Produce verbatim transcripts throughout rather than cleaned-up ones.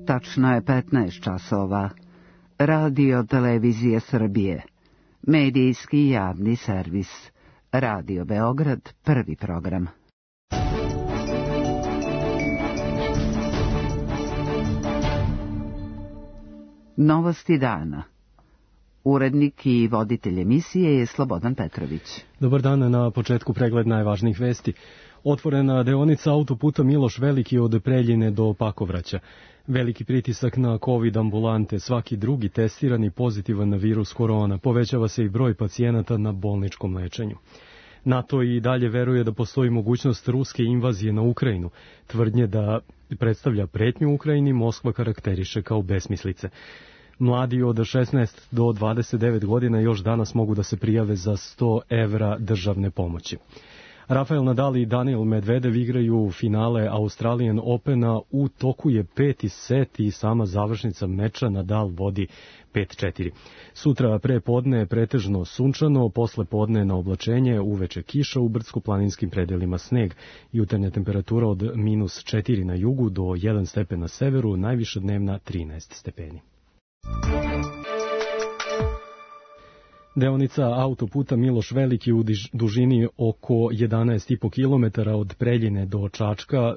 Tačno je petnaest časova. Radio Televizije Srbije. Medijski javni servis. Radio Beograd, prvi program. Novosti dana. Urednik i voditelj emisije je Slobodan Petrović. Dobar dan, na početku pregled najvažnijih vesti. Otvorena deonica autoputa Miloš Veliki od Preljine do Pakovraća. Veliki pritisak na COVID ambulante, svaki drugi testirani pozitivan na virus korona, povećava se i broj pacijenata na bolničkom lečenju. NATO i dalje veruje da postoji mogućnost ruske invazije na Ukrajinu. Tvrdnje da predstavlja pretnju Ukrajini Moskva karakteriše kao besmislice. Mladi od šesnaest do dvadeset devet godina još danas mogu da se prijave za sto evra državne pomoći. Rafael Nadal i Daniel Medvedev igraju finale Australian Opena, u toku je peti set i sama završnica meča Nadal vodi pet četiri. Sutra pre podne je pretežno sunčano, posle podne na oblačenje, uveče kiša, u brdsko-planinskim predelima sneg. Jutarnja temperatura od minus četiri na jugu do jedan stepen na severu, najviša dnevna trinaest stepeni. Deonica autoputa Miloš Veliki u dužini oko jedanaest i po kilometara od Preljine do Čačka,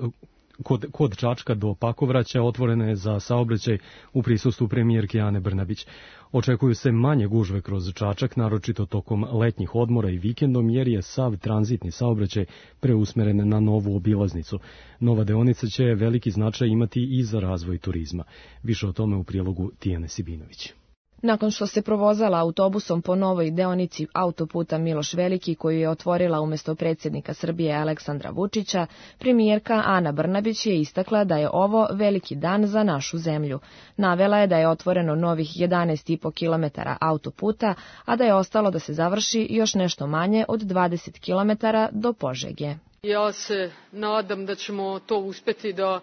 kod, kod Čačka do Pakovraća otvorena je za saobraćaj u prisustvu premijerke Ane Brnabić. Očekuju se manje gužve kroz Čačak, naročito tokom letnjih odmora i vikendom, jer je sav tranzitni saobraćaj preusmeren na novu obilaznicu. Nova deonica će veliki značaj imati i za razvoj turizma. Više o tome u prilogu Tijane Sibinović. Nakon što se provozala autobusom po novoj deonici autoputa Miloš Veliki, koju je otvorila umjesto predsjednika Srbije Aleksandra Vučića, premijerka Ana Brnabić je istakla da je ovo veliki dan za našu zemlju. Navela je da je otvoreno novih jedanaest i po kilometara autoputa, a da je ostalo da se završi još nešto manje od dvadeset kilometara do Požege. Ja se nadam da ćemo to uspeti da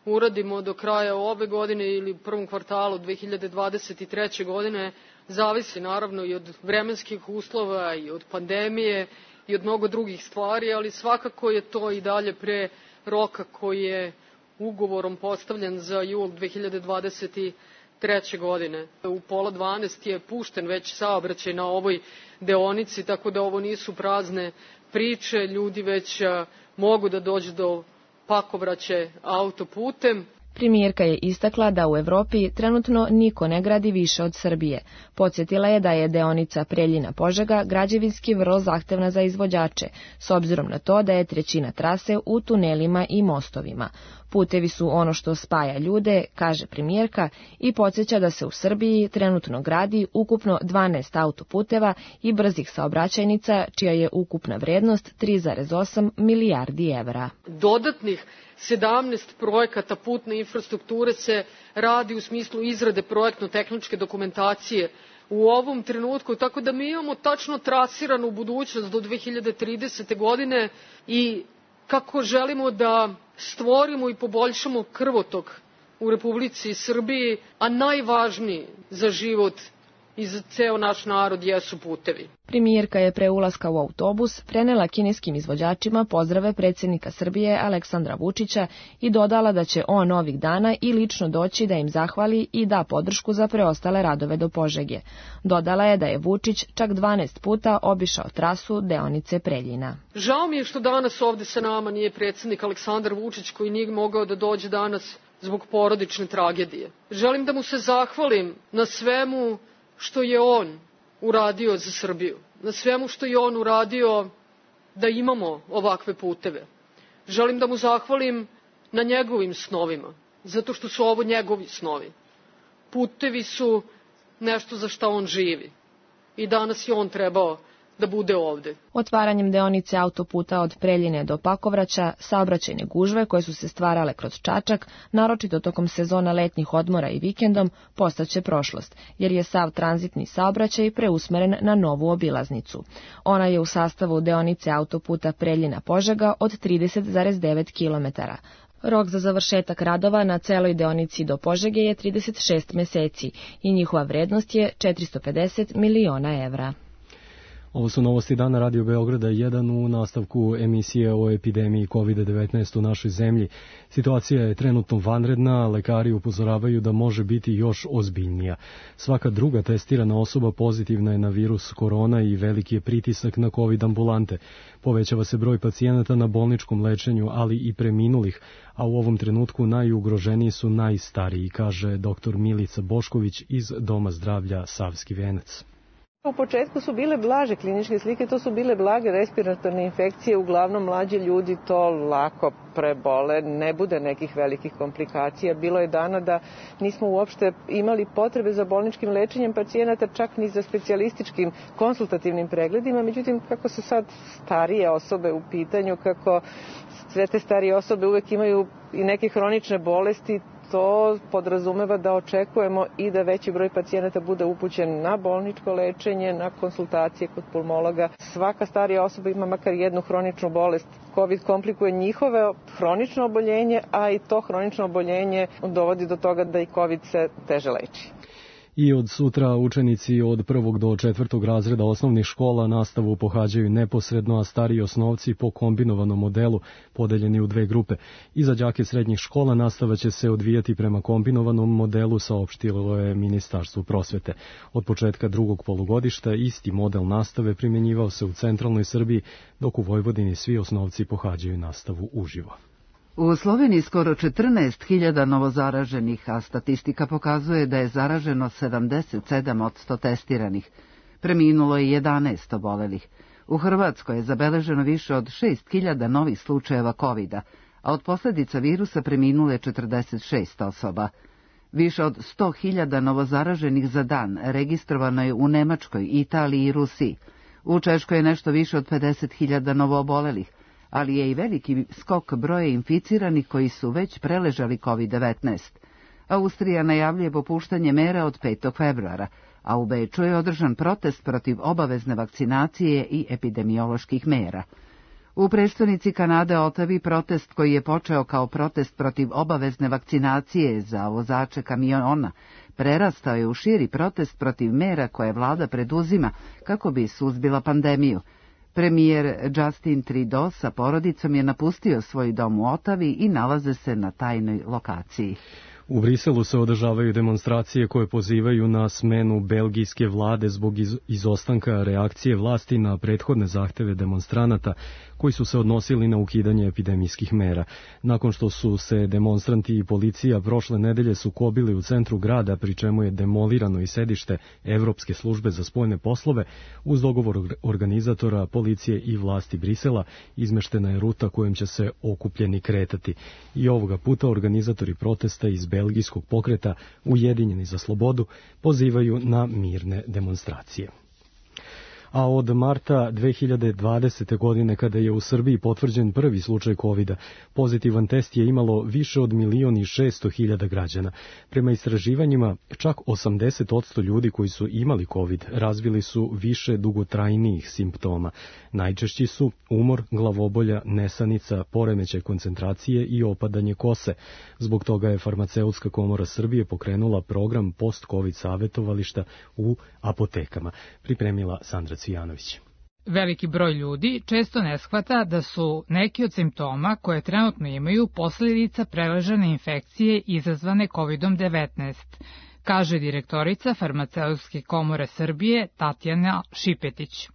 uradimo do kraja ove godine ili u prvom kvartalu dve hiljade dvadeset treće. godine, zavisi naravno i od vremenskih uslova i od pandemije i od mnogo drugih stvari, ali svakako je to i dalje pre roka koji je ugovorom postavljen za jul dve hiljade dvadeset treće. godine. U pola dvanaest je pušten već saobraćaj na ovoj deonici, tako da ovo nisu prazne priče, ljudi već mogu da dođu do Pakovraće autoputem. Premijerka je istakla da u Evropi trenutno niko ne gradi više od Srbije. Podsjetila je da je deonica Preljina-Požega građevinski vrlo zahtevna za izvođače, s obzirom na to da je trećina trase u tunelima i mostovima. Putevi su ono što spaja ljude, kaže premijerka, i podsjeća da se u Srbiji trenutno gradi ukupno dvanaest autoputeva i brzih saobraćajnica, čija je ukupna vrednost tri zarez osam milijardi evra. Dodatnih sedamnaest projekata putne infrastrukture se radi u smislu izrade projektno-tehničke dokumentacije u ovom trenutku, tako da mi imamo tačno trasiranu budućnost do dve hiljade tridesete. godine i kako želimo da stvorimo i poboljšamo krvotok u Republici Srbiji, a najvažniji za život i za ceo naš narod jesu putevi. Premijerka je pre ulaska u autobus prenela kineskim izvođačima pozdrave predsjednika Srbije Aleksandra Vučića i dodala da će on ovih dana i lično doći da im zahvali i da podršku za preostale radove do Požege. Dodala je da je Vučić čak dvanaest puta obišao trasu deonice Preljina. Žao mi je što danas ovde sa nama nije predsjednik Aleksandar Vučić, koji nije mogao da dođe danas zbog porodične tragedije. Želim da mu se zahvalim na svemu što je on uradio za Srbiju, na svemu što je on uradio da imamo ovakve puteve. Želim da mu zahvalim na njegovim snovima, zato što su ovo njegovi snovi. Putevi su nešto za što on živi i danas je on trebao da bude ovde. Otvaranjem deonice autoputa od Preljine do Pakovraća, saobraćajne gužve koje su se stvarale kroz Čačak, naročito tokom sezona letnjih odmora i vikendom, postaće prošlost, jer je sav tranzitni saobraćaj preusmeren na novu obilaznicu. Ona je u sastavu deonice autoputa Preljina-Požega od trideset zarez devet kilometara. Rok za završetak radova na celoj deonici do Požege je trideset šest meseci i njihova vrednost je četiristo pedeset miliona evra. Ovo su novosti dana Radio Beograda jedan u nastavku emisije o epidemiji kovid devetnaest u našoj zemlji. Situacija je trenutno vanredna, lekari upozoravaju da može biti još ozbiljnija. Svaka druga testirana osoba pozitivna je na virus korona i veliki je pritisak na covid ambulante. Povećava se broj pacijenata na bolničkom lečenju, ali i preminulih, a u ovom trenutku najugroženiji su najstariji, kaže doktor Milica Bošković iz Doma zdravlja Savski Venac. U početku su bile blaže kliničke slike, to su bile blage respiratorne infekcije, uglavnom mlađi ljudi to lako prebole, ne bude nekih velikih komplikacija. Bilo je dana da nismo uopšte imali potrebe za bolničkim lečenjem pacijenata, čak ni za specijalističkim konsultativnim pregledima, međutim kako su sad starije osobe u pitanju, kako sve te starije osobe uvek imaju i neke hronične bolesti, to podrazumeva da očekujemo i da veći broj pacijenata bude upućen na bolničko lečenje, na konsultacije kod pulmologa. Svaka starija osoba ima makar jednu hroničnu bolest. COVID komplikuje njihove hronično oboljenje, a i to hronično oboljenje dovodi do toga da i COVID se teže leči. I od sutra učenici od prvog do četvrtog razreda osnovnih škola nastavu pohađaju neposredno, a stariji osnovci po kombinovanom modelu, podeljeni u dve grupe. I za đake srednjih škola nastava će se odvijati prema kombinovanom modelu, saopštilo je Ministarstvo prosvete. Od početka drugog polugodišta isti model nastave primjenjivao se u centralnoj Srbiji, dok u Vojvodini svi osnovci pohađaju nastavu uživo. U Sloveniji skoro četrnaest hiljada novozaraženih, a statistika pokazuje da je zaraženo sedamdeset sedam posto testiranih. Preminulo je jedanaest obolelih. U Hrvatskoj je zabeleženo više od šest hiljada novih slučajeva kovida, a od posljedica virusa preminulo je četrdeset šest osoba. Više od sto hiljada novozaraženih za dan registrovano je u Nemačkoj, Italiji i Rusiji. U Češkoj je nešto više od pedeset hiljada novoobolelih, ali je i veliki skok broja inficiranih koji su već preležali kovid devetnaest. Austrija najavljuje popuštanje mera od petog februara, a u Beču je održan protest protiv obavezne vakcinacije i epidemioloških mera. U prestonici Kanade Otavi protest koji je počeo kao protest protiv obavezne vakcinacije za vozače kamiona prerastao je u širi protest protiv mera koje vlada preduzima kako bi suzbila pandemiju. Premijer Justin Trudeau sa porodicom je napustio svoj dom u Otavi i nalaze se na tajnoj lokaciji. U Briselu se održavaju demonstracije koje pozivaju na smenu belgijske vlade zbog iz, izostanka reakcije vlasti na prethodne zahteve demonstranata koji su se odnosili na ukidanje epidemijskih mera. Nakon što su se demonstranti i policija prošle nedelje sukobili u centru grada, pri čemu je demolirano i sedište Evropske službe za spoljne poslove, uz dogovor organizatora, policije i vlasti Brisela, izmeštena je ruta kojom će se okupljeni kretati. I ovoga puta organizatori protesta iz belgijskog pokreta Ujedinjeni za slobodu pozivaju na mirne demonstracije. A od marta dve hiljade dvadesete. godine, kada je u Srbiji potvrđen prvi slučaj kovida, pozitivan test je imalo više od milion i šesto hiljada građana. Prema istraživanjima, čak osamdeset posto ljudi koji su imali covid razvili su više dugotrajnijih simptoma. Najčešći su umor, glavobolja, nesanica, poremećaj koncentracije i opadanje kose. Zbog toga je Farmaceutska komora Srbije pokrenula program post-covid savjetovališta u apotekama. Pripremila Sandra Cvijanović. Veliki broj ljudi često ne shvata da su neki od simptoma koje trenutno imaju posljedica preležane infekcije izazvane kovid devetnaest, kaže direktorica Farmaceutske komore Srbije Tatjana Šipetić.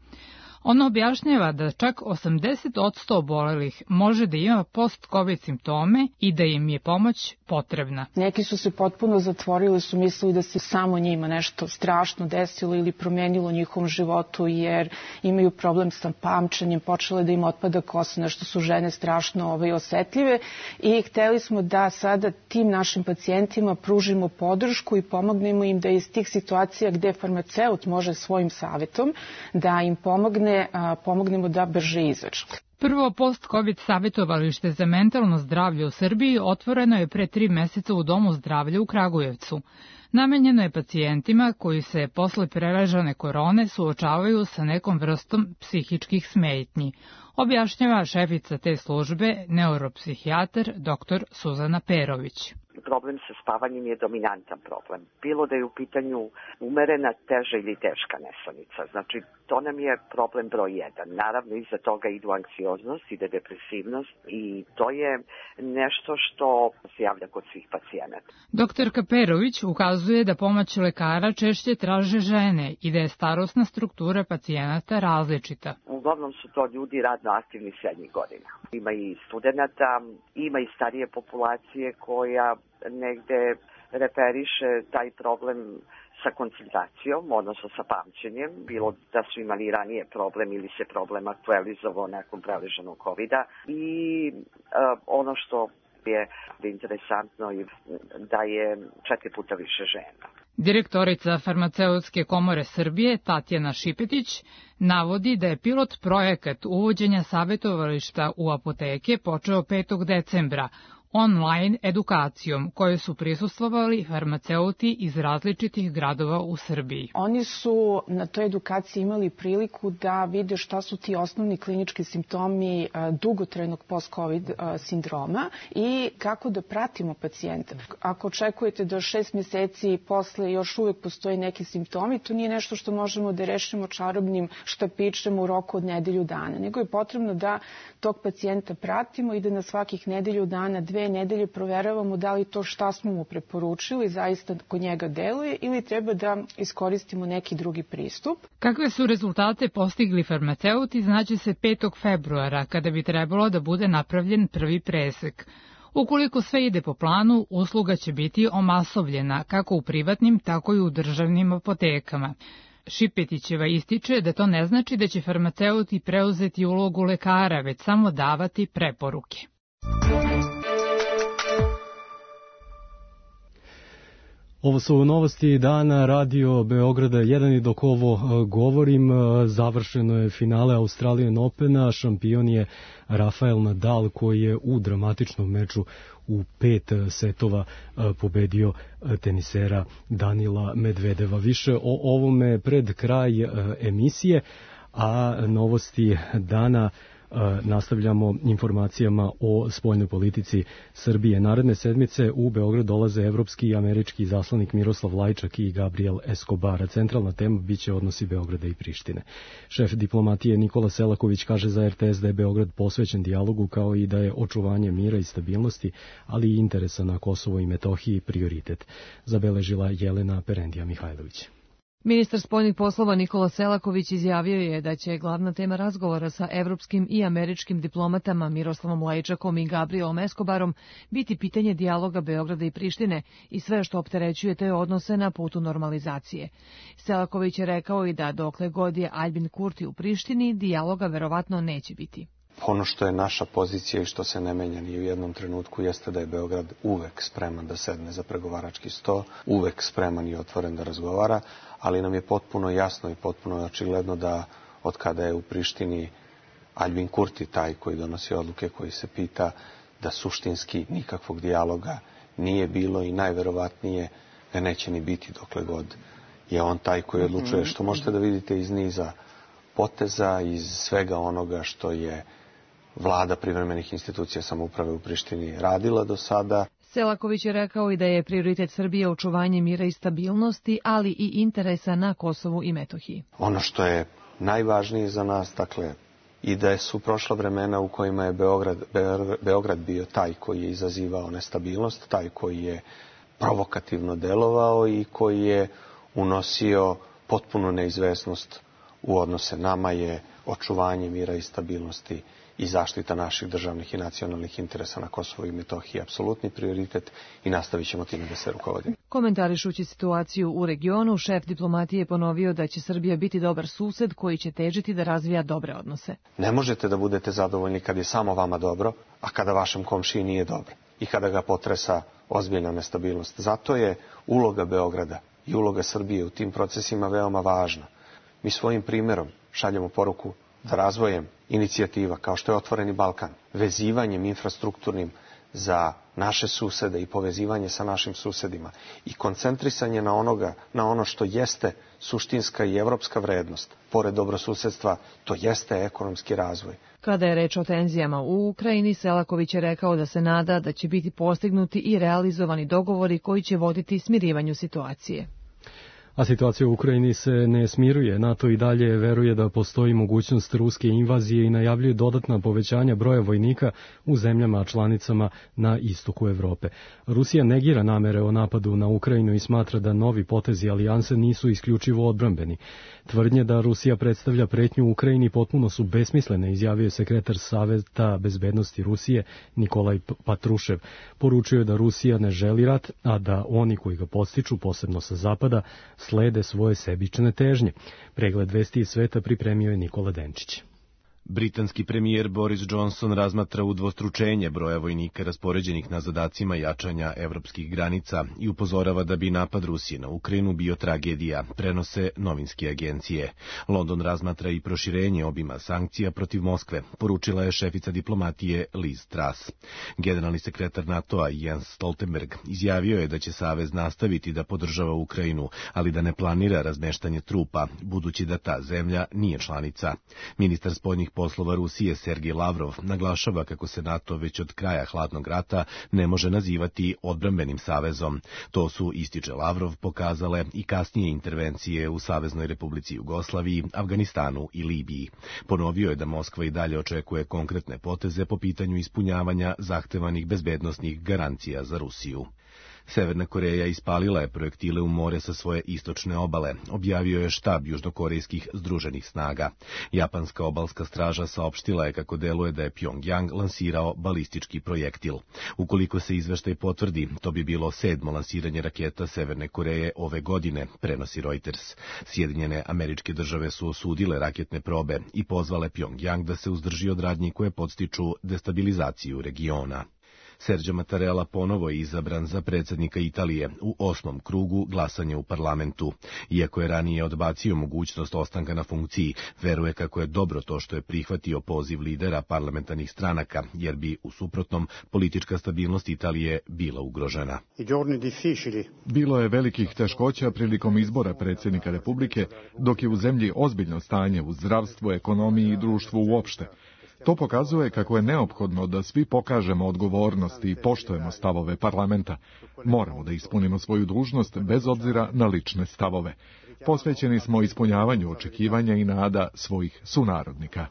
Ona objašnjava da čak osamdeset posto obolelih može da ima post-covid simptome i da im je pomoć potrebna. Neki su se potpuno zatvorili, su mislili da se samo njima nešto strašno desilo ili promenilo u njihovom životu jer imaju problem sa pamćenjem, počele da im otpada kosa, nešto su žene strašno ovaj, osetljive i hteli smo da sada tim našim pacijentima pružimo podršku i pomognemo im da iz tih situacija gde farmaceut može svojim savjetom da im pomogne pomognemo da brže izađu. Prvo post-covid savjetovalište za mentalno zdravlje u Srbiji otvoreno je pre tri meseca u Domu zdravlja u Kragujevcu. Namenjeno je pacijentima koji se posle preležane korone suočavaju sa nekom vrstom psihičkih smetnji, objašnjava šefica te službe, neuropsihijatar dr. Suzana Perović. problem sa spavanjem je dominantan problem. Bilo da je u pitanju umerena, teža ili teška nesanica. Znači, to nam je problem broj jedan. Naravno, iza toga idu anksioznost, ide depresivnost i to je nešto što se javlja kod svih pacijenata. Doktor Kaperović ukazuje da pomoć lekara češće traže žene i da je starosna struktura pacijenata različita. Uglavnom su to ljudi radno aktivni srednjih godina. Ima i studenata, ima i starije populacije koja negde referiše taj problem sa koncentracijom, odnosno sa pamćenjem, bilo da su imali ranije problem ili se problem aktualizovao nakon preleženog kovida. I uh, ono što je interesantno je da je četiri puta više žena. Direktorica Farmaceutske komore Srbije Tatjana Šipetić navodi da je pilot projekat uvođenja savetovališta u apoteke počeo petog decembra online edukacijom koje su prisustvovali farmaceuti iz različitih gradova u Srbiji. Oni su na toj edukaciji imali priliku da vide šta su ti osnovni klinički simptomi dugotrajnog post-covid sindroma i kako da pratimo pacijenta. Ako očekujete da šest meseci posle još uvek postoji neki simptomi, to nije nešto što možemo da rešimo čarobnim štapićem u roku od nedelju dana, nego je potrebno da tog pacijenta pratimo i da na svakih nedelju dana, dve nedelje proveravamo da li to šta smo mu preporučili zaista kod njega deluje ili treba da iskoristimo neki drugi pristup. Kakve su rezultate postigli farmaceuti znaće se petog februara kada bi trebalo da bude napravljen prvi presek. Ukoliko sve ide po planu, usluga će biti omasovljena kako u privatnim, tako i u državnim apotekama. Šipetićeva ističe da to ne znači da će farmaceuti preuzeti ulogu lekara, već samo davati preporuke. Ovo su novosti dana Radio Beograda jedan i dok ovo govorim, završeno je finale Australian Opena, šampion je Rafael Nadal koji je u dramatičnom meču u pet setova pobedio tenisera Danila Medvedeva. Više o ovome pred kraj emisije, a novosti dana nastavljamo informacijama o spoljnoj politici Srbije. Naredne sedmice u Beograd dolaze evropski i američki izaslanik Miroslav Lajčak i Gabriel Escobar. Centralna tema biće odnosi Beograda i Prištine. Šef diplomatije Nikola Selaković kaže za er te es da je Beograd posvećen dijalogu kao i da je očuvanje mira i stabilnosti, ali i interesa na Kosovo i Metohiji prioritet, zabeležila Jelena Perendija Mihajlović. Ministar spoljnih poslova Nikola Selaković izjavio je da će glavna tema razgovora sa evropskim i američkim diplomatama Miroslavom Lajčakom i Gabrielom Escobarom biti pitanje dijaloga Beograda i Prištine i sve što opterećuje te odnose na putu normalizacije. Selaković je rekao i da dokle god je Aljbin Kurti u Prištini, dijaloga verovatno neće biti. Ono što je naša pozicija i što se ne menja ni u jednom trenutku jeste da je Beograd uvek spreman da sedne za pregovarački sto, uvek spreman i otvoren da razgovara, ali nam je potpuno jasno i potpuno očigledno da od kada je u Prištini Aljbin Kurti taj koji donosi odluke, koji se pita, da suštinski nikakvog dijaloga nije bilo i najverovatnije ga neće ni biti dokle god je on taj koji odlučuje, što možete da vidite iz niza poteza, iz svega onoga što je vlada privremenih institucija samouprave u Prištini radila do sada. Selaković je rekao i da je prioritet Srbije očuvanje mira i stabilnosti, ali i interesa na Kosovu i Metohiji. Ono što je najvažnije za nas, dakle, i da su prošla vremena u kojima je Beograd, Beograd bio taj koji je izazivao nestabilnost, taj koji je provokativno delovao i koji je unosio potpunu neizvesnost u odnose. Nama je očuvanje mira i stabilnosti i zaštita naših državnih i nacionalnih interesa na Kosovu i Metohiji apsolutni prioritet i nastavit ćemo time da se rukovodimo. Komentarišući situaciju u regionu, šef diplomatije je ponovio da će Srbija biti dobar sused koji će težiti da razvija dobre odnose. Ne možete da budete zadovoljni kad je samo vama dobro, a kada vašem komšiji nije dobro i kada ga potresa ozbiljna nestabilnost. Zato je uloga Beograda i uloga Srbije u tim procesima veoma važna. Mi svojim primjerom šaljemo poruku da razvojem inicijativa kao što je Otvoreni Balkan, vezivanjem infrastrukturnim za naše susede i povezivanje sa našim susedima i koncentrisanje na onoga, na ono što jeste suštinska i evropska vrednost, pored dobrosusedstva, to jeste ekonomski razvoj. Kada je reč o tenzijama u Ukrajini, Selaković je rekao da se nada da će biti postignuti i realizovani dogovori koji će voditi smirivanju situacije. A situacija u Ukrajini se ne smiruje. NATO i dalje veruje da postoji mogućnost ruske invazije i najavljuje dodatna povećanja broja vojnika u zemljama članicama na istoku Evrope. Rusija negira namere o napadu na Ukrajinu i smatra da novi potezi alijanse nisu isključivo odbrambeni. Tvrdnje da Rusija predstavlja pretnju u Ukrajini potpuno su besmislene, izjavio je sekretar Saveta bezbednosti Rusije Nikolaj Patrušev. Poručio je da Rusija ne želi rat, a da oni koji ga podstiču, posebno sa zapada, slede svoje sebične težnje. Pregled vesti iz sveta pripremio je Nikola Denčić. Britanski premijer Boris Johnson razmatra udvostručenje broja vojnika raspoređenih na zadacima jačanja evropskih granica i upozorava da bi napad Rusije na Ukrajinu bio tragedija, prenose novinske agencije. London razmatra i proširenje obima sankcija protiv Moskve, poručila je šefica diplomatije Liz Truss. Generalni sekretar NATO-a Jens Stoltenberg izjavio je da će savez nastaviti da podržava Ukrajinu, ali da ne planira razmeštanje trupa, budući da ta zemlja nije članica. Ministar spoljnih poslova Rusije Sergej Lavrov naglašava kako se NATO već od kraja hladnog rata ne može nazivati odbrambenim savezom. To su, ističe Lavrov, pokazale i kasnije intervencije u Saveznoj Republici Jugoslaviji, Afganistanu i Libiji. Ponovio je da Moskva i dalje očekuje konkretne poteze po pitanju ispunjavanja zahtevanih bezbednosnih garancija za Rusiju. Severna Koreja ispalila je projektile u more sa svoje istočne obale, objavio je štab južnokorejskih združenih snaga. Japanska obalska straža saopštila je kako deluje da je Pjongjang lansirao balistički projektil. Ukoliko se izveštaj potvrdi, to bi bilo sedmo lansiranje raketa Severne Koreje ove godine, prenosi Reuters. Sjedinjene Američke Države su osudile raketne probe i pozvale Pjongjang da se uzdrži od radnji koje podstiču destabilizaciju regiona. Sergio Mattarella ponovo je izabran za predsjednika Italije u osmom krugu glasanja u parlamentu. Iako je ranije odbacio mogućnost ostanka na funkciji, veruje kako je dobro to što je prihvatio poziv lidera parlamentarnih stranaka, jer bi u suprotnom politička stabilnost Italije bila ugrožena. Bilo je velikih teškoća prilikom izbora predsjednika Republike, dok je u zemlji ozbiljno stanje u zdravstvu, ekonomiji i društvu uopšte. To pokazuje kako je neophodno da svi pokažemo odgovornost i poštujemo stavove parlamenta. Moramo da ispunimo svoju dužnost bez obzira na lične stavove. Posvećeni smo ispunjavanju očekivanja i nada svojih sunarodnika.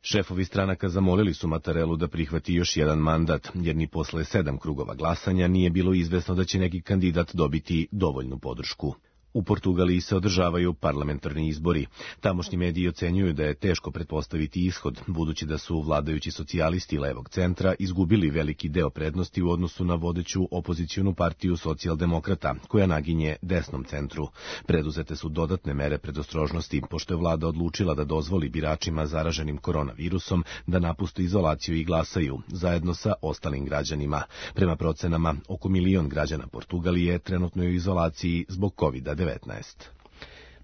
Šefovi stranaka zamolili su Mattarellu da prihvati još jedan mandat, jer ni posle sedam krugova glasanja nije bilo izvesno da će neki kandidat dobiti dovoljnu podršku. U Portugaliji se održavaju parlamentarni izbori. Tamošnji mediji ocenjuju da je teško pretpostaviti ishod, budući da su vladajući socijalisti levog centra izgubili veliki deo prednosti u odnosu na vodeću opozicionu partiju socijaldemokrata, koja naginje desnom centru. Preduzete su dodatne mere predostrožnosti, pošto je vlada odlučila da dozvoli biračima zaraženim koronavirusom da napuste izolaciju i glasaju, zajedno sa ostalim građanima. Prema procenama, oko milion građana Portugalije trenutno je u izolaciji zbog kovida devetnaest.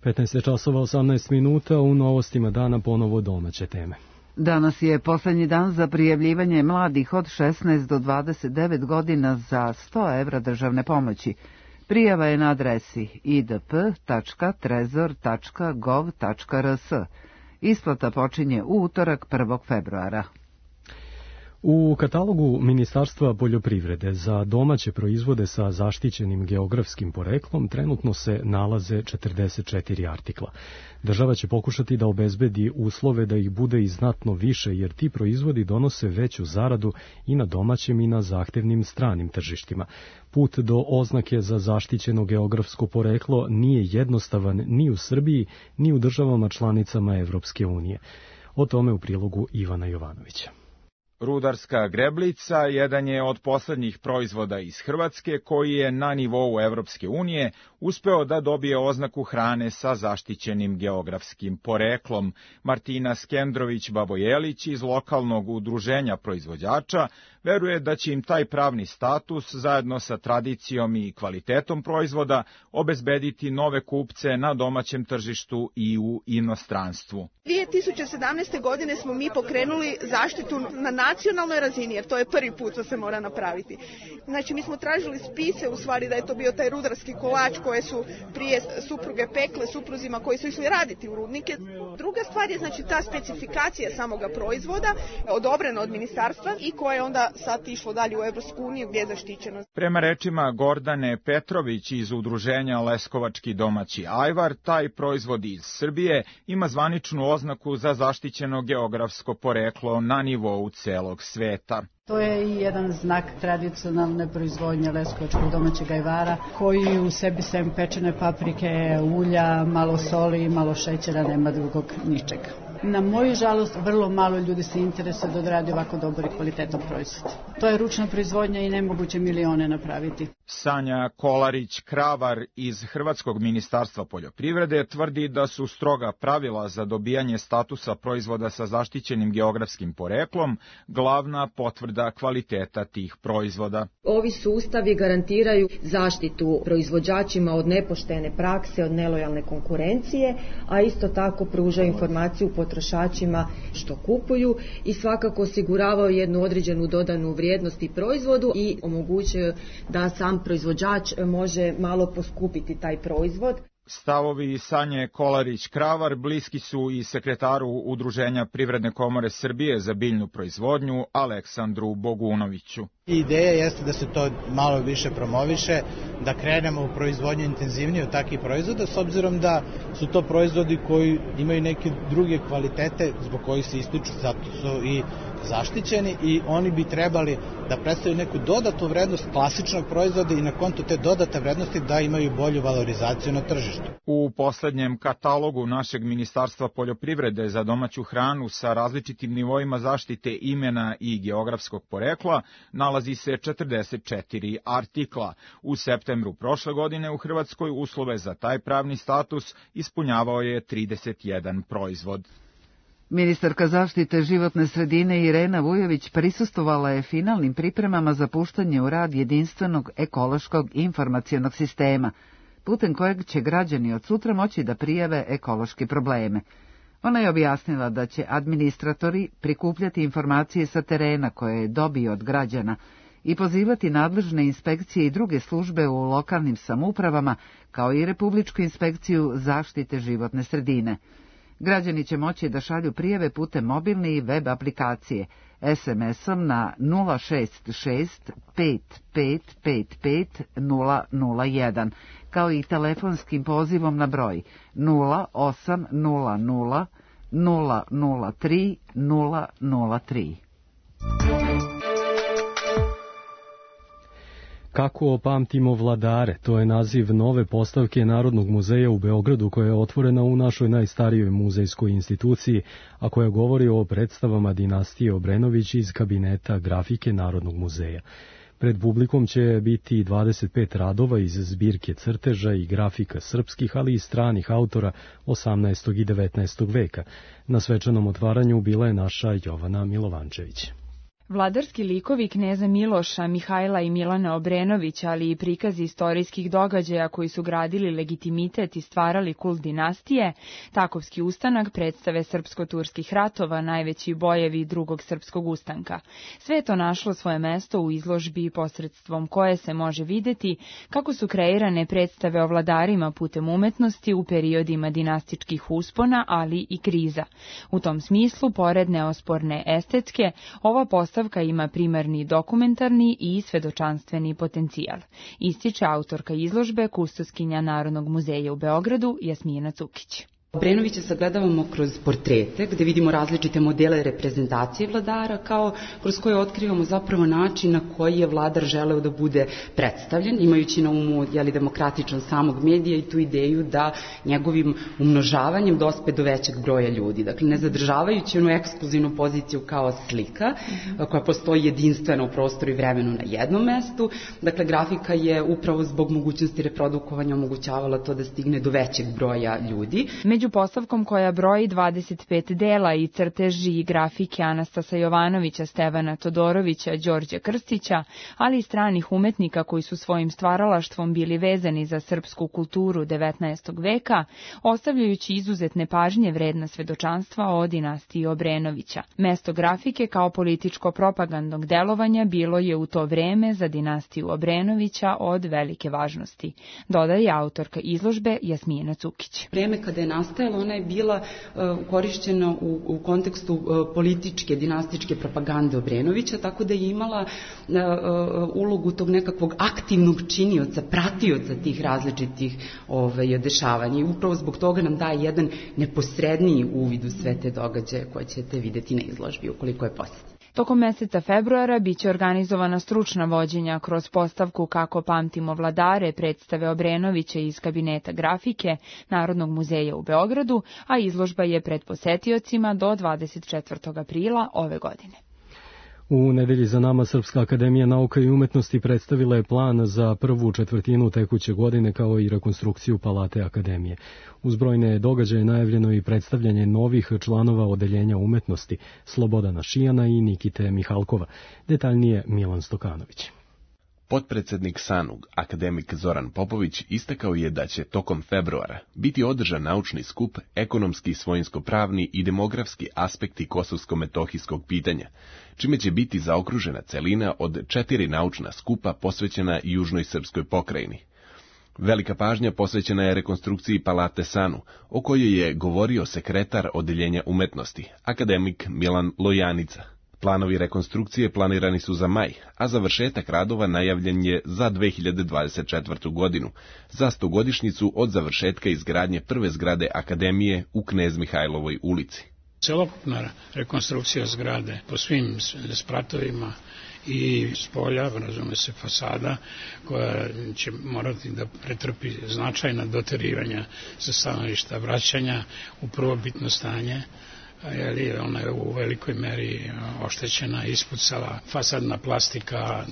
petnaest časova osamnaest minuta, u novostima dana ponovo domaće teme. Danas je posljednji dan za prijavljivanje mladih od šesnaest do dvadeset devet godina za sto evra državne pomoći. Prijava je na adresi i d p tačka trezor tačka gov tačka r s. Isplata počinje u utorak prvog februara. U katalogu Ministarstva poljoprivrede za domaće proizvode sa zaštićenim geografskim poreklom trenutno se nalaze četrdeset četiri artikla. Država će pokušati da obezbedi uslove da ih bude i znatno više, jer ti proizvodi donose veću zaradu i na domaćim i na zahtevnim stranim tržištima. Put do oznake za zaštićeno geografsko poreklo nije jednostavan ni u Srbiji, ni u državama članicama Evropske unije. O tome u prilogu Ivana Jovanovića. Rudarska greblica jedan je od poslednjih proizvoda iz Hrvatske koji je na nivou Evropske unije uspeo da dobije oznaku hrane sa zaštićenim geografskim poreklom. Martina Skendrović-Babojelić iz lokalnog udruženja proizvođača veruje da će im taj pravni status zajedno sa tradicijom i kvalitetom proizvoda obezbediti nove kupce na domaćem tržištu i u inostranstvu. dvije tisuće sedamnaeste. godine smo mi pokrenuli zaštitu na nacionalnoj razini, jer to je prvi put što se mora napraviti. Znači, mi smo tražili spise, u stvari da je to bio taj rudarski kolač koje su prije supruge pekle supruzima koji su išli raditi u rudnike. Druga stvar je znači ta specifikacija samoga proizvoda, odobrena od ministarstva i koje je onda sad išlo dalje u Evropsku uniju gdje je zaštićeno. Prema rečima Gordane Petrović iz udruženja Leskovački domaći ajvar, taj proizvod iz Srbije ima zvaničnu oznaku za zaštićeno geografsko poreklo na nivou celog sveta. To je i jedan znak tradicionalne proizvodnje leskovačkog domaćeg ajvara, koji u sebi sem pečene paprike, ulja, malo soli, malo šećera, nema drugog ničega. Na moju žalost, vrlo malo ljudi se interesuje da odradi ovako dobar i kvalitetan proizvod. To je ručna proizvodnja i nemoguće milione napraviti. Sanja Kolarić-Kravar iz Hrvatskog ministarstva poljoprivrede tvrdi da su stroga pravila za dobijanje statusa proizvoda sa zaštićenim geografskim poreklom glavna potvrda kvaliteta tih proizvoda. Ovi sustavi garantiraju zaštitu proizvođačima od nepoštene prakse, od nelojalne konkurencije, a isto tako pružaju informaciju potrošačima što kupuju i svakako osiguravaju jednu određenu dodanu vrijednost i proizvodu i omogućuju da sam proizvođač može malo poskupiti taj proizvod. Stavovi Sanje Kolarić-Kravar bliski su i sekretaru Udruženja Privredne komore Srbije za biljnu proizvodnju Aleksandru Bogunoviću. Ideja jeste da se to malo više promoviše, da krenemo u proizvodnju intenzivnije od takvih proizvoda, s obzirom da su to proizvodi koji imaju neke druge kvalitete zbog kojih se ističu, zato su i zaštićeni i oni bi trebali da predstavljaju neku dodatnu vrednost klasičnog proizvoda i na konto te dodate vrednosti da imaju bolju valorizaciju na tržištu. U poslednjem katalogu našeg Ministarstva poljoprivrede za domaću hranu sa različitim nivoima zaštite imena i geografskog porekla nalazi se četrdeset četiri artikla. U septembru prošle godine u Hrvatskoj uslove za taj pravni status ispunjavao je trideset jedan proizvod. Ministarka zaštite životne sredine Irena Vujović prisustvovala je finalnim pripremama za puštanje u rad jedinstvenog ekološkog informacionog sistema, putem kojeg će građani od sutra moći da prijave ekološke probleme. Ona je objasnila da će administratori prikupljati informacije sa terena koje je dobio od građana i pozivati nadležne inspekcije i druge službe u lokalnim samoupravama, kao i Republičku inspekciju zaštite životne sredine. Građani će moći da šalju prijave putem mobilne i web aplikacije, es em esom na nula šest šest pet pet pet pet nula nula jedan, kao i telefonskim pozivom na broj nula osam nula nula nula nula tri nula nula tri. Kako pamtimo vladare, to je naziv nove postavke Narodnog muzeja u Beogradu koja je otvorena u našoj najstarijoj muzejskoj instituciji, a koja govori o predstavama dinastije Obrenović iz kabineta grafike Narodnog muzeja. Pred publikom će biti dvadeset pet radova iz zbirke crteža i grafika srpskih, ali i stranih autora osamnaestog i devetnaestog veka. Na svečanom otvaranju bila je naša Jovana Milovančević. Vladarski likovi kneza Miloša, Mihajla i Milana Obrenovića, ali i prikazi istorijskih događaja koji su gradili legitimitet i stvarali kult dinastije, Takovski ustanak, predstave srpsko-turskih ratova, najveći bojevi drugog srpskog ustanka. Sve je to našlo svoje mesto u izložbi posredstvom koje se može videti kako su kreirane predstave o vladarima putem umetnosti u periodima dinastičkih uspona, ali i kriza. U tom smislu, pored neosporne estetske, ova postavka Postavka ima primarni dokumentarni i svedočanstveni potencijal, ističe autorka izložbe, kustoskinja Narodnog muzeja u Beogradu, Jasmina Cukić. Obrenovića sagledavamo kroz portrete, gde vidimo različite modele reprezentacije vladara, kao kroz koje otkrivamo zapravo način na koji je vladar želeo da bude predstavljen, imajući na umu jeli, demokratičan samog medija i tu ideju da njegovim umnožavanjem dospe do većeg broja ljudi. Dakle, ne zadržavajući onu ekskluzivnu poziciju kao slika, koja postoji jedinstveno u prostoru i vremenu na jednom mestu. Dakle, grafika je upravo zbog mogućnosti reprodukovanja omogućavala to da stigne do većeg broja ljudi. Među postavkom koja broji dvadeset pet dela i crteži i grafike Anastasa Jovanovića, Stevana Todorovića, Đorđa Krstića, ali i stranih umetnika koji su svojim stvaralaštvom bili vezani za srpsku kulturu devetnaestog veka, ostavljajući izuzetne pažnje vredna svedočanstva o dinastiji Obrenovića. Mesto grafike kao političko propagandnog delovanja bilo je u to vreme za dinastiju Obrenovića od velike važnosti, dodaje autorka izložbe Jasmina Cukić. Vreme kada je nastajala, ona je bila uh, korišćena u, u kontekstu uh, političke, dinastičke propagande Obrenovića, tako da je imala uh, uh, ulogu tog nekakvog aktivnog činioca, pratioca tih različitih ovaj, dešavanja. I upravo zbog toga nam daje jedan neposredniji uvid u sve te događaje koje ćete videti na izložbi, ukoliko je posjetite. Tokom meseca februara biće organizovana stručna vođenja kroz postavku Kako pamtimo vladare, predstave Obrenovića iz kabineta grafike Narodnog muzeja u Beogradu, a izložba je pred posetiocima do dvadeset četvrtog aprila ove godine. U nedelji za nama Srpska akademija nauka i umetnosti predstavila je plan za prvu četvrtinu tekuće godine kao i rekonstrukciju Palate akademije. Uz brojne događaje najavljeno i predstavljanje novih članova odeljenja umetnosti Slobodana Šijana i Nikite Mihalkova. Detaljnije Milan Stokanović. Potpredsednik SANUG, akademik Zoran Popović, istakao je da će tokom februara biti održan naučni skup Ekonomski, svojinsko-pravni i demografski aspekti kosovsko-metohijskog pitanja, čime će biti zaokružena celina od četiri naučna skupa posvećena južnoj srpskoj pokrajini. Velika pažnja posvećena je rekonstrukciji Palate Sanu, o kojoj je govorio sekretar odeljenja umetnosti, akademik Milan Lojanica. Planovi rekonstrukcije planirani su za maj, a završetak radova najavljen je za dve hiljade dvadeset četvrtu. godinu, za stogodišnjicu od završetka izgradnje prve zgrade akademije u Knez Mihajlovoj ulici. Celokupna rekonstrukcija zgrade po svim spratovima i s polja, razume se fasada, koja će morati da pretrpi značajna doterivanja sa stanovišta vraćanja u prvobitno stanje, ali ona je u velikoj meri oštećena, ispucala, fasadna plastika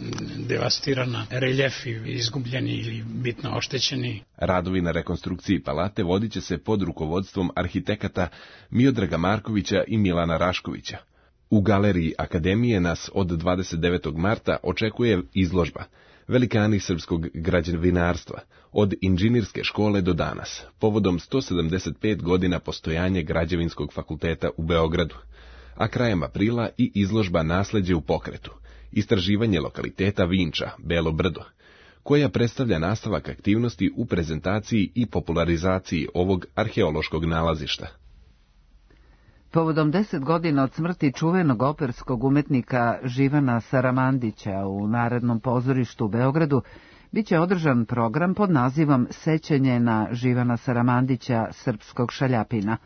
devastirana, reljefi izgubljeni ili bitno oštećeni. Radovi na rekonstrukciji palate vodit će se pod rukovodstvom arhitekata Miodraga Markovića i Milana Raškovića. U galeriji Akademije nas od dvadeset devetog marta očekuje izložba Velikani srpskog građevinarstva, od inženjerske škole do danas, povodom sto sedamdeset pet godina postojanja Građevinskog fakulteta u Beogradu, a krajem aprila i izložba Nasleđe u pokretu, istraživanje lokaliteta Vinča, Belo brdo, koja predstavlja nastavak aktivnosti u prezentaciji i popularizaciji ovog arheološkog nalazišta. Povodom deset godina od smrti čuvenog operskog umetnika Živana Saramandića u Narodnom pozorištu u Beogradu biće održan program pod nazivom Sećanje na Živana Saramandića, srpskog šaljapina.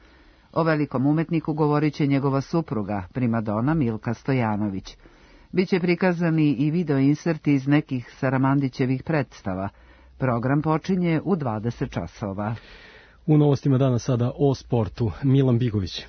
O velikom umetniku govorit će njegova supruga, primadona Milka Stojanović. Biće prikazani i video inserti iz nekih Saramandićevih predstava. Program počinje u dvadeset časova. U novostima dana sada o sportu. Milan Bigović.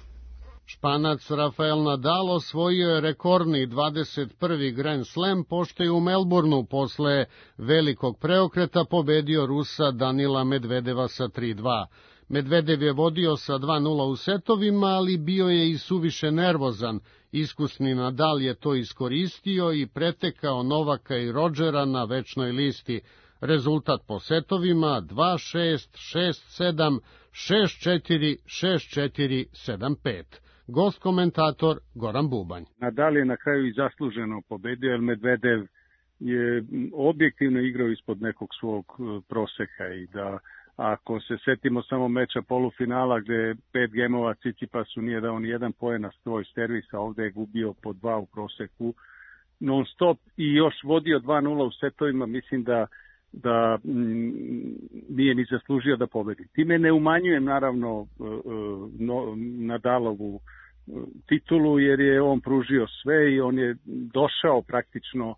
Španac Rafael Nadal osvojio je rekordni dvadeset prvi Grand Slam, pošto je u Melbourneu posle velikog preokreta pobedio Rusa Danila Medvedeva sa tri dva. Medvedev je vodio sa dva nula u setovima, ali bio je i suviše nervozan. Iskusni Nadal je to iskoristio i pretekao Novaka i Rodžera na večnoj listi. Rezultat po setovima dva šest, šest sedam, šest četiri, šest četiri, sedam pet. Gost komentator Goran Bubanj. Nadal je na kraju i zasluženo pobedio, jer Medvedev je objektivno igrao ispod nekog svog proseka i da ako se setimo samo meča polufinala gde pet gemova Cicipasu nije dao ni jedan poen na svoj servis, a ovde je gubio po dva u proseku non stop i još vodio dva nula u setovima, mislim da da m, nije ni zaslužio da pobedi. Time ne umanjujem naravno no, Nadalovu titulu, jer je on pružio sve i on je došao praktično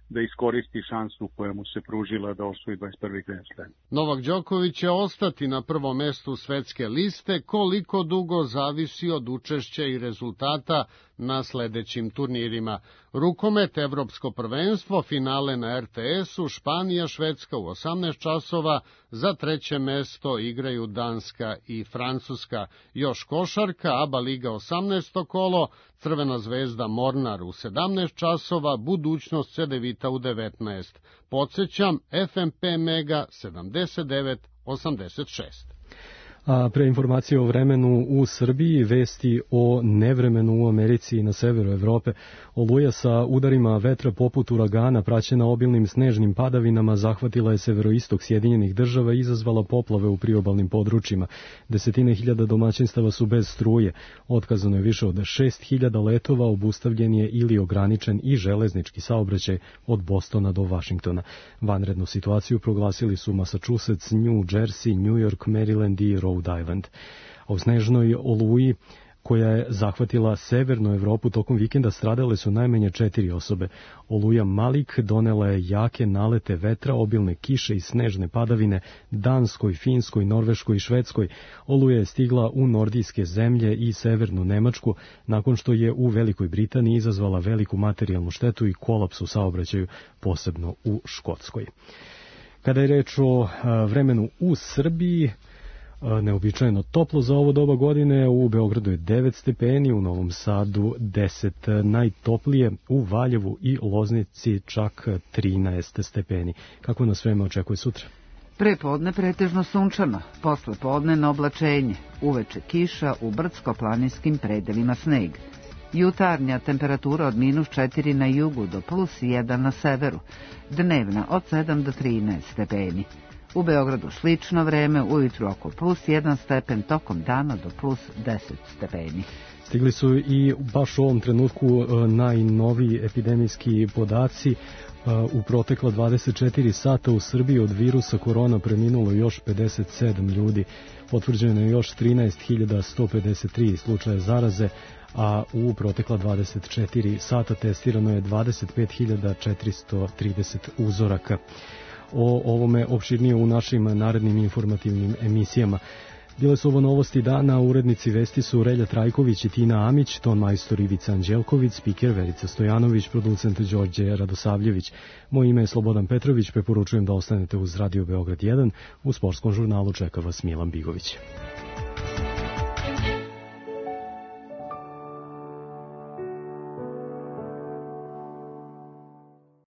da iskoristi šansu koja mu se pružila da osvoji dvadeset prvi Grand Slam. Novak Đoković će ostati na prvom mestu svetske liste, koliko dugo zavisi od učešća i rezultata na sledećim turnirima. Rukomet, Evropsko prvenstvo, finale na er te esu, Španija, Švedska u osamnaest časova, za treće mesto igraju Danska i Francuska. Još košarka, A B A liga osamnaesto kolo, Crvena zvezda Mornar u sedamnaest časova, budućnost Cedevita u devetnaest. Podsećam, ef em pe Mega sedamdeset devet osamdeset šest. A pre informacije o vremenu u Srbiji, vesti o nevremenu u Americi i na severu Evrope. Oluja sa udarima vetra poput uragana, praćena obilnim snežnim padavinama, zahvatila je severoistok Sjedinjenih država i izazvala poplave u priobalnim područjima. Desetine hiljada domaćinstava su bez struje. Otkazano je više od šest hiljada letova, obustavljen je ili ograničen i železnički saobraćaj od Bostona do Vašingtona. Vanrednu situaciju proglasili su Massachusetts, New Jersey, New York, Maryland i Rhode Island. A u snežnoj oluji koja je zahvatila severnu Evropu tokom vikenda stradale su najmanje četiri osobe. Oluja Malik donela je jake nalete vetra, obilne kiše i snežne padavine Danskoj, Finskoj, Norveškoj i Švedskoj. Oluja je stigla u nordijske zemlje i severnu Nemačku nakon što je u Velikoj Britaniji izazvala veliku materijalnu štetu i kolaps u saobraćaju, posebno u Škotskoj. Kada je reč o vremenu u Srbiji, neobičajeno toplo za ovo doba godine, u Beogradu je devet stepeni, u Novom Sadu deset, najtoplije u Valjevu i Loznici čak trinaest stepeni. Kako nas vreme očekuje sutra? Prepodne pretežno sunčano, posle podne oblačenje, uveče kiša, u brdsko-planinskim predelima sneg. Jutarnja temperatura od minus četiri na jugu do plus jedan na severu, dnevna od sedam do trinaest stepeni. U Beogradu slično vreme, ujutru oko plus jedan stepen, tokom dana do plus deset stepeni. Stigli su i baš u ovom trenutku najnoviji epidemijski podaci. U protekla dvadeset četiri sata u Srbiji od virusa korona preminulo još pedeset sedam ljudi. Potvrđeno je još trinaest hiljada sto pedeset tri slučaja zaraze, a u protekla dvadeset četiri sata testirano je dvadeset pet hiljada četiristo trideset uzoraka. O ovome opširnije u našim narednim informativnim emisijama. Bile su ovo novosti dana, urednici vesti su Relja Trajković i Tina Amić, ton majstor Ivica Anđelković, spiker Verica Stojanović, producent Đorđe Radosavljević. Moje ime je Slobodan Petrović, preporučujem da ostanete uz Radio Beograd jedan, u sportskom žurnalu čeka vas Milan Bigović.